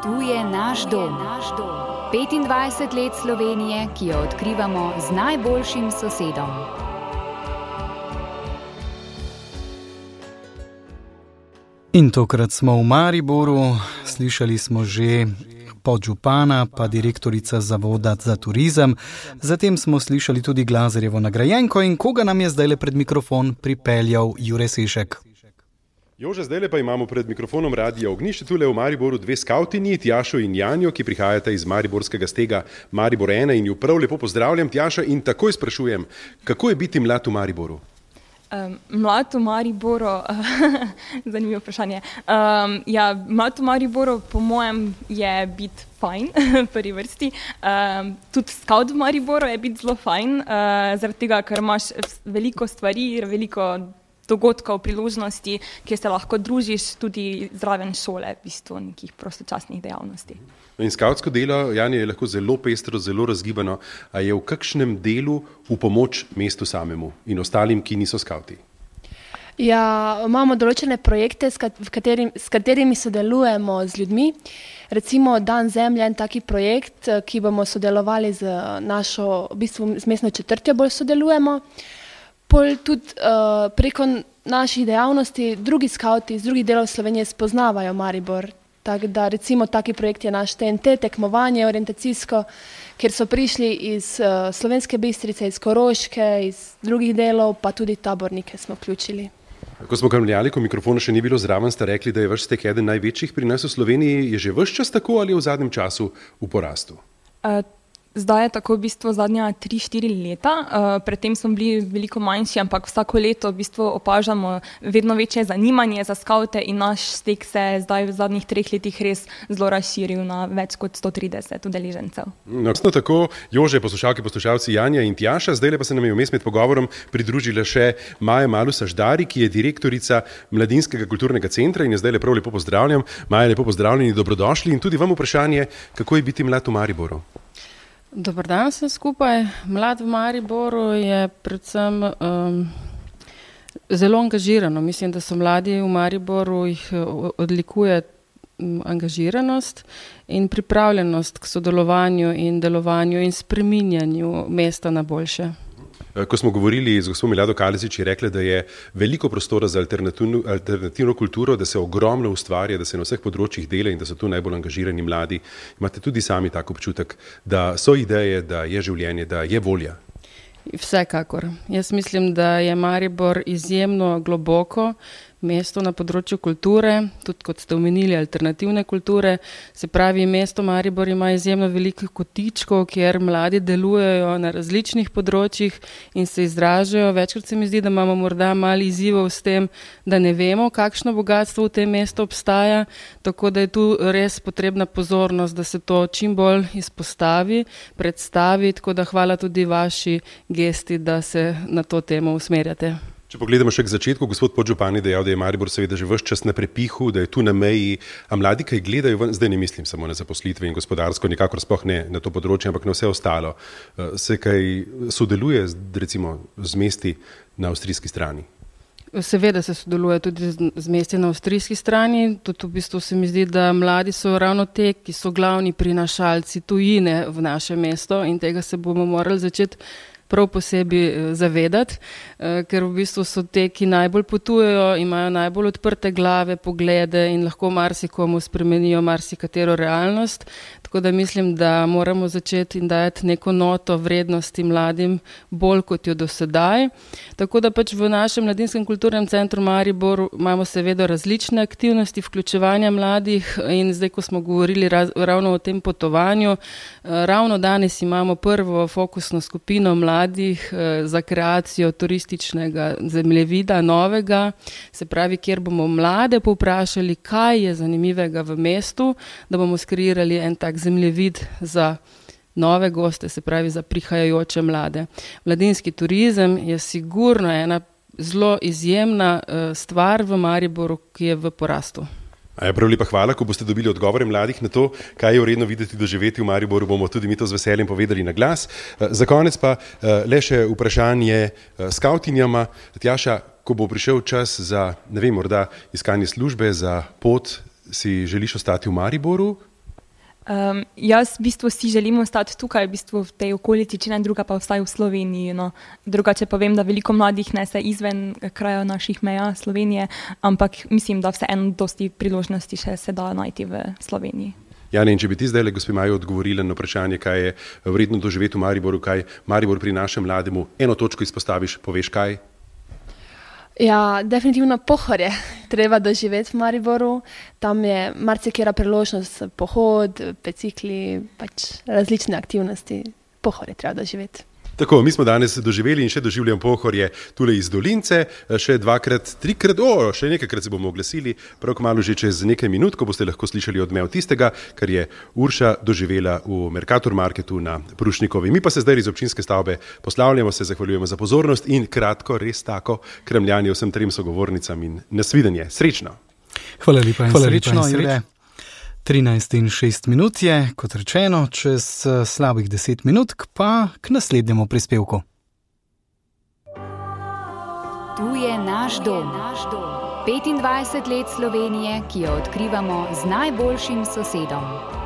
Tu je naš dom. 25 let Slovenije, ki jo odkrivamo z najboljšim sosedom. In tokrat smo v Mariboru, slišali smo že podžupana pa direktorica Zavoda za turizem. Zatem smo slišali tudi Glazerjevo nagrajenko in koga nam je zdajle pred mikrofon pripeljal Jure Sešek. Jože, zdajle pa imamo pred mikrofonom Radia Ognjišče tule v Mariboru dve skavtinji, Tjašo in Janjo, ki prihajata iz mariborskega stega Maribor 1 in ju prav lepo pozdravljam, Tjaša, in takoj sprašujem, kako je biti mlad v Mariboru? Mlad v Mariboru, zanimivo vprašanje. Mlad v Mariboru po mojem je biti fajn, v prvi vrsti. Tudi skaut v Mariboru je biti zelo fajn, zaradi tega, ker imaš veliko stvari, veliko dogodkov, priložnosti, kjer se lahko družiš tudi zraven šole, v bistvu nekih prostočasnih dejavnosti. In skautsko delo, Janja, je lahko zelo pestro, zelo razgibano. A je v kakšnem delu v pomoč mestu samemu in ostalim, ki niso skauti? Ja, imamo določene projekte, s katerimi sodelujemo z ljudmi. Recimo Dan zemlje, en taki projekt, ki bomo sodelovali z našo, v bistvu z mestno četrtjo bolj sodelujemo. Pol tudi preko naših dejavnosti drugi skauti iz drugih delov Slovenije spoznavajo Maribor. Tako da recimo taki projekt je naš TNT, tekmovanje orientacijsko, kjer so prišli iz Slovenske Bistrice, iz Koroške, iz drugih delov, pa tudi tabornike smo vključili. Ko smo kramljali, ko mikrofona še ni bilo zraven, ste rekli, da je vaš stek eden največjih pri nas v Sloveniji. Je že ves čas tako ali je v zadnjem času v porastu? Zdaj je tako v bistvu zadnja 3-4 leta, predtem smo bili veliko manjši, ampak vsako leto v bistvu opažamo vedno večje zanimanje za skaute in naš stek se zdaj v zadnjih 3 letih res zelo razširil na več kot 130 udeležencev. No, tako, Jože, poslušalci Janja in Tjaša, zdaj pa se nam je vmes med pogovorom pridružila še Maja Malus-Aždari, ki je direktorica Mladinskega kulturnega centra in je zdaj prav lepo pozdravljam. Maja, lepo pozdravljeni, dobrodošli in tudi vam vprašanje, kako je biti mlad v Mariboru? Dobar dan vsem skupaj. Mlad v Mariboru je predvsem zelo angažirano. Mislim, da so mladi v Mariboru, jih odlikuje angažiranost in pripravljenost k sodelovanju in delovanju in spreminjanju mesta na boljše. Ko smo govorili z gospod Milado Kalezič, je rekla, da je veliko prostora za alternativno kulturo, da se ogromno ustvarja, da se na vseh področjih dela in da so tu najbolj angažirani mladi. Imate tudi sami tak občutek, da so ideje, da je življenje, da je volja? Vsekakor. Jaz mislim, da je Maribor izjemno globoko mesto na področju kulture, tudi kot ste omenili, alternativne kulture. Se pravi, mesto Maribor ima izjemno veliko kotičkov, kjer mladi delujejo na različnih področjih in se izražajo. Večkrat se mi zdi, da imamo morda malo izzivov s tem, da ne vemo, kakšno bogatstvo v tem mestu obstaja, tako da je tu res potrebna pozornost, da se to čim bolj izpostavi, predstavi, tako da hvala tudi vaši gesti, da se na to temo usmerjate. Če pogledamo še k začetku, gospod podžupan je dejal, da je Maribor seveda že ves čas na prepihu, da je tu na meji, a mladi kaj gledajo, zdaj ne mislim samo na zaposlitve in gospodarsko, nikakor sploh ne na to področje, ampak na vse ostalo. Se kaj sodeluje recimo z mesti na avstrijski strani? Seveda se sodeluje tudi z mesti na avstrijski strani, tudi v bistvu se mi zdi, da mladi so ravno te, ki so glavni prinašalci tujine v naše mesto in tega se bomo morali začeti prav posebej zavedati, ker v bistvu so te, ki najbolj potujejo, imajo najbolj odprte glave, poglede in lahko marsikomu spremenijo marsikatero realnost. Tako da mislim, da moramo začeti in dajati neko noto vrednosti mladim bolj kot jo do sedaj. Tako da pač v našem Mladinskem kulturnem centru Maribor imamo seveda različne aktivnosti vključevanja mladih in zdaj, ko smo govorili ravno o tem potovanju, ravno danes imamo prvo fokusno skupino mladih za kreacijo turističnega zemljevida novega, se pravi, kjer bomo mlade povprašali, kaj je zanimivega v mestu, da bomo skreirali en tak zemljevid za nove goste, se pravi za prihajajoče mlade. Mladinski turizem je sigurno ena zelo izjemna stvar v Mariboru, ki je v porastu. Prav lepa hvala, ko boste dobili odgovore mladih na to, kaj je vredno videti, doživeti v Mariboru, bomo tudi mi to z veseljem povedali na glas. Za konec pa le še vprašanje skautinjama. Tjaša, ko bo prišel čas za, ne vem, morda iskanje službe, za pot, si želiš ostati v Mariboru Jaz v bistvu si želim ostati tukaj, v bistvu v tej okolici, če ne druga, pa vstaj v Sloveniji. No. Drugače pa vem, da veliko mladih ne se izven kraja naših meja Slovenije, ampak mislim, da vseeno dosti priložnosti še se da najti v Sloveniji. Jane, in če bi ti zdaj, gospe Maji, odgovorila na vprašanje, kaj je vredno doživeti v Mariboru, kaj Maribor prinaša mlademu, eno točko izpostaviš, poveš kaj? Ja, definitivno Pohorje treba doživeti v Mariboru. Tam je marsikera priložnost, pohod, bicikli, pač različne aktivnosti. Pohorje treba doživeti. Tako, mi smo danes doživeli in še doživljam Pohorje tule iz Dolince, še dvakrat, trikrat, še nekajkrat se bomo oglasili, prav kmalu že čez nekaj minut, ko boste lahko slišali odmev tistega, kar je Urša doživela v Mercator Marketu na Prušnikovi. Mi pa se zdaj iz občinske stavbe poslavljamo, se zahvaljujemo za pozornost in kratko, res tako, kremljanje vsem trem sogovornicam in nasvidenje. Srečno! Hvala lepa in srečno, Jure. 13:06 je, kot rečeno, čez slabih 10 minut pa k naslednjemu prispevku. Tu je naš dom. 25 let Slovenije, ki jo odkrivamo z najboljšim sosedom.